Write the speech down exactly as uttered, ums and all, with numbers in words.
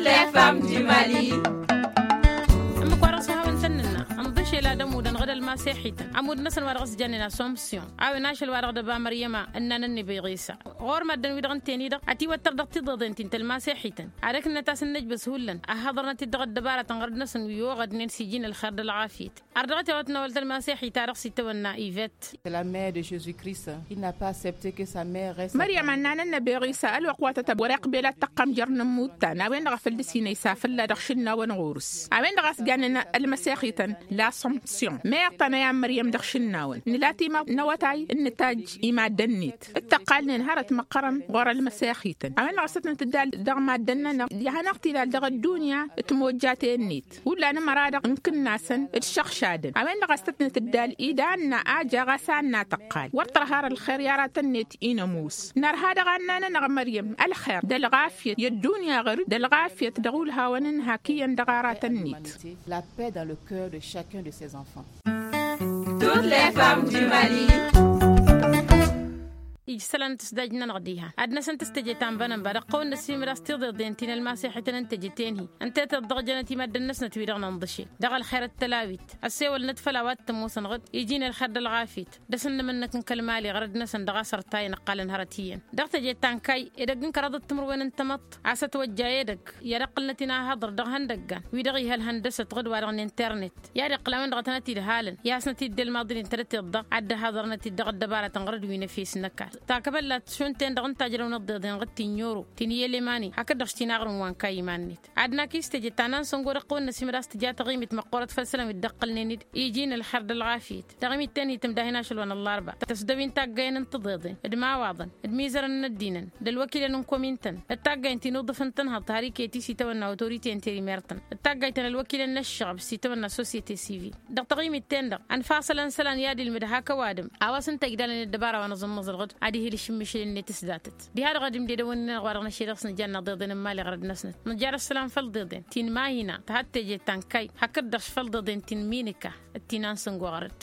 Femmes du mali. Ǝmmǝk wa dăɣ-s hawăn-tăn-nǝnna ǝnḍǝšel ad-ămudăn ɣǝd ălmaseḥităn ămud-năsăn wa dăɣ-s jannen asomsyon a-wen ašăl wa dăɣ-dăba măryăma ǝnnan ănnibeɣ isa. Ɣur-măddǝn-wi-dăɣ ǝnten-i-dăɣ ătiwăttăr dăɣ-tiḍeḍen ti n-tălmaseḥităn ad-ǝknǝnăt a-s ǝnnǝjbăs hullan ăhhăḍărnăt-dd dăɣ-ăddăbarătăn ɣărăt-năsăn wi oɣădnen s-iji n-ălxer d-ălɣafyăt. Ar dăɣ-t iwăt n-awăl tălmaseḥit-ta-dăɣ s-itawănna ivet. Măryăm ănnan ănnăbeɣ isa ălwăqq wa tătăb wăr-iqbel ad-tăqqăm jer-inǝmmut-ta n-a-wen-dăɣ a făl dăr-s inăysa fălla dăɣ-išǝnnawăn ɣur-s. A-wen-dăɣ a-s jannen ălmăsexităn lasomsyon meɣ tănăya n-măryăm dăɣ-išǝnnawăn nǝla timăɣ n-awătay n-nǝtajj i-maddăn-net. Dd-tăqqalnen hărăt măqqărăn ɣur-ălmăsexităn a-wen-dăɣ a-s tăt-nǝtǝddal dăɣ-maddăn-nănăɣ. Ihănăɣ-t-ila dăɣ-ăddunya timojjaten-net hullan ămăra-dăɣ ǝnkǝnnasăn d-išăɣšadăn a-wen-dăɣ a-s tăt-nǝtǝddal idanna a jaɣ a-s anna tăqqal wăr tărha ar ălxer i-aratăn-net. Inămus nărha dăɣ-anna-nănăɣ măryăm ălxer d-ălɣafyăt i-ăddunya ɣăr-dd d-ălɣafyăt dăɣ-ulhawăn n-hak iyyăn dăɣ-aratăn-net. La paix dans le cœur de chacun de ses enfants. Toutes les femmes du mali. Ija isălan n-tǝsdaj-nănăɣ diha ad-năsăn tǝstăje ta n-bănănba dăɣ-tăwăn-năsimăd a-s tiḍeḍen ti n-ălmaseḥităn n-teje ten-hi ǝnta i-tăḍḍăɣjănăt i-maddǝn-năsnăt wi-dăɣ nǝnḍǝšel dăɣ-ălxer d-tălawit. Ăssewălnăt făll-a-wa t-ămoosăn ɣǝd iji n-ălxer d-ălɣafyăt d-asǝnnǝmǝnnăk n-kăl-mali ɣărăt-năsăn dăɣ-a-s ărtayăn ǝqqalăn hărăt iyyăn. Dăɣ-teje ta n-kayy edăgg n-kăraḍăt timǝrwen n-tamăḍt a-s ătwăjja edăgg i-ad-ăqqǝlnăt-in ahăḍăr dăɣ-ihăndăggan wi-dăɣ ih' ălhăndăsăt ɣǝd-wa-dăɣ n-internet. I-ad-iqqǝl a-wen-dăɣ a tănăt-id-halăn i-hasnăt-dd ălmaḍǝl-in tărăteḍ-dăɣ ad-dd-ăhaḍărnăt-dd dăɣ-ăddăbarătăn ɣărăt wi n-efes n-ăkall takăbăllat šund-ten-dăɣ n-tajrăw n-ăḍḍeḍen ɣǝd ti n-yoro ti n-iyyălemani hakd-dăɣ š-tinaɣrǝm wa n-kayy iman-net. Ad-nakis teje ta n-ansăngo dăɣ-tăwăn-năsimăd a-s tǝja taɣimit măqqoorăt făll-isălan wi dd-ăqqǝlnen-dd iji n-ălxer d-ălɣafyăt. Taɣimit-ten-hi tǝmdahin ašăl wa n-ăllarba tăsdăwin taggayăn n-tiḍeḍen d-imawaḍăn d-imizărăn n-ăddinăn d-ălwăkilăn n-komintăn d-taggayăn ti n-uḍǝf n-tănhăḍt har iket-i s-itawănna otorite n-terimertăn d-taggaytăn ălwăkilăn n-ăššăɣb s-itawănna sosyete sivil. Dăɣ-taɣimit-ten-dăɣ ănfasălăn isălan i-ad-ilmǝd hak ăwadǝm a-wa s-ǝnta igdalăn ăddăbara wa n-aẓǝmmăẓ ălɣǝd ad-ihǝl išǝmmǝšǝl-net s-datăt. Diha-dăɣ ad-imded ăwănni-nănăɣ wa dăɣ-năšel dăɣ-s nǝjanna ḍeḍen n-imali ɣărăd-năsnăt nǝjar ăssălam făll-ḍeḍen ti n-mahina tăhat teje ta n-kayy hakd-dăɣ făll-ḍeḍen ti n-minika d-ti n-ansǝngo ɣărăd.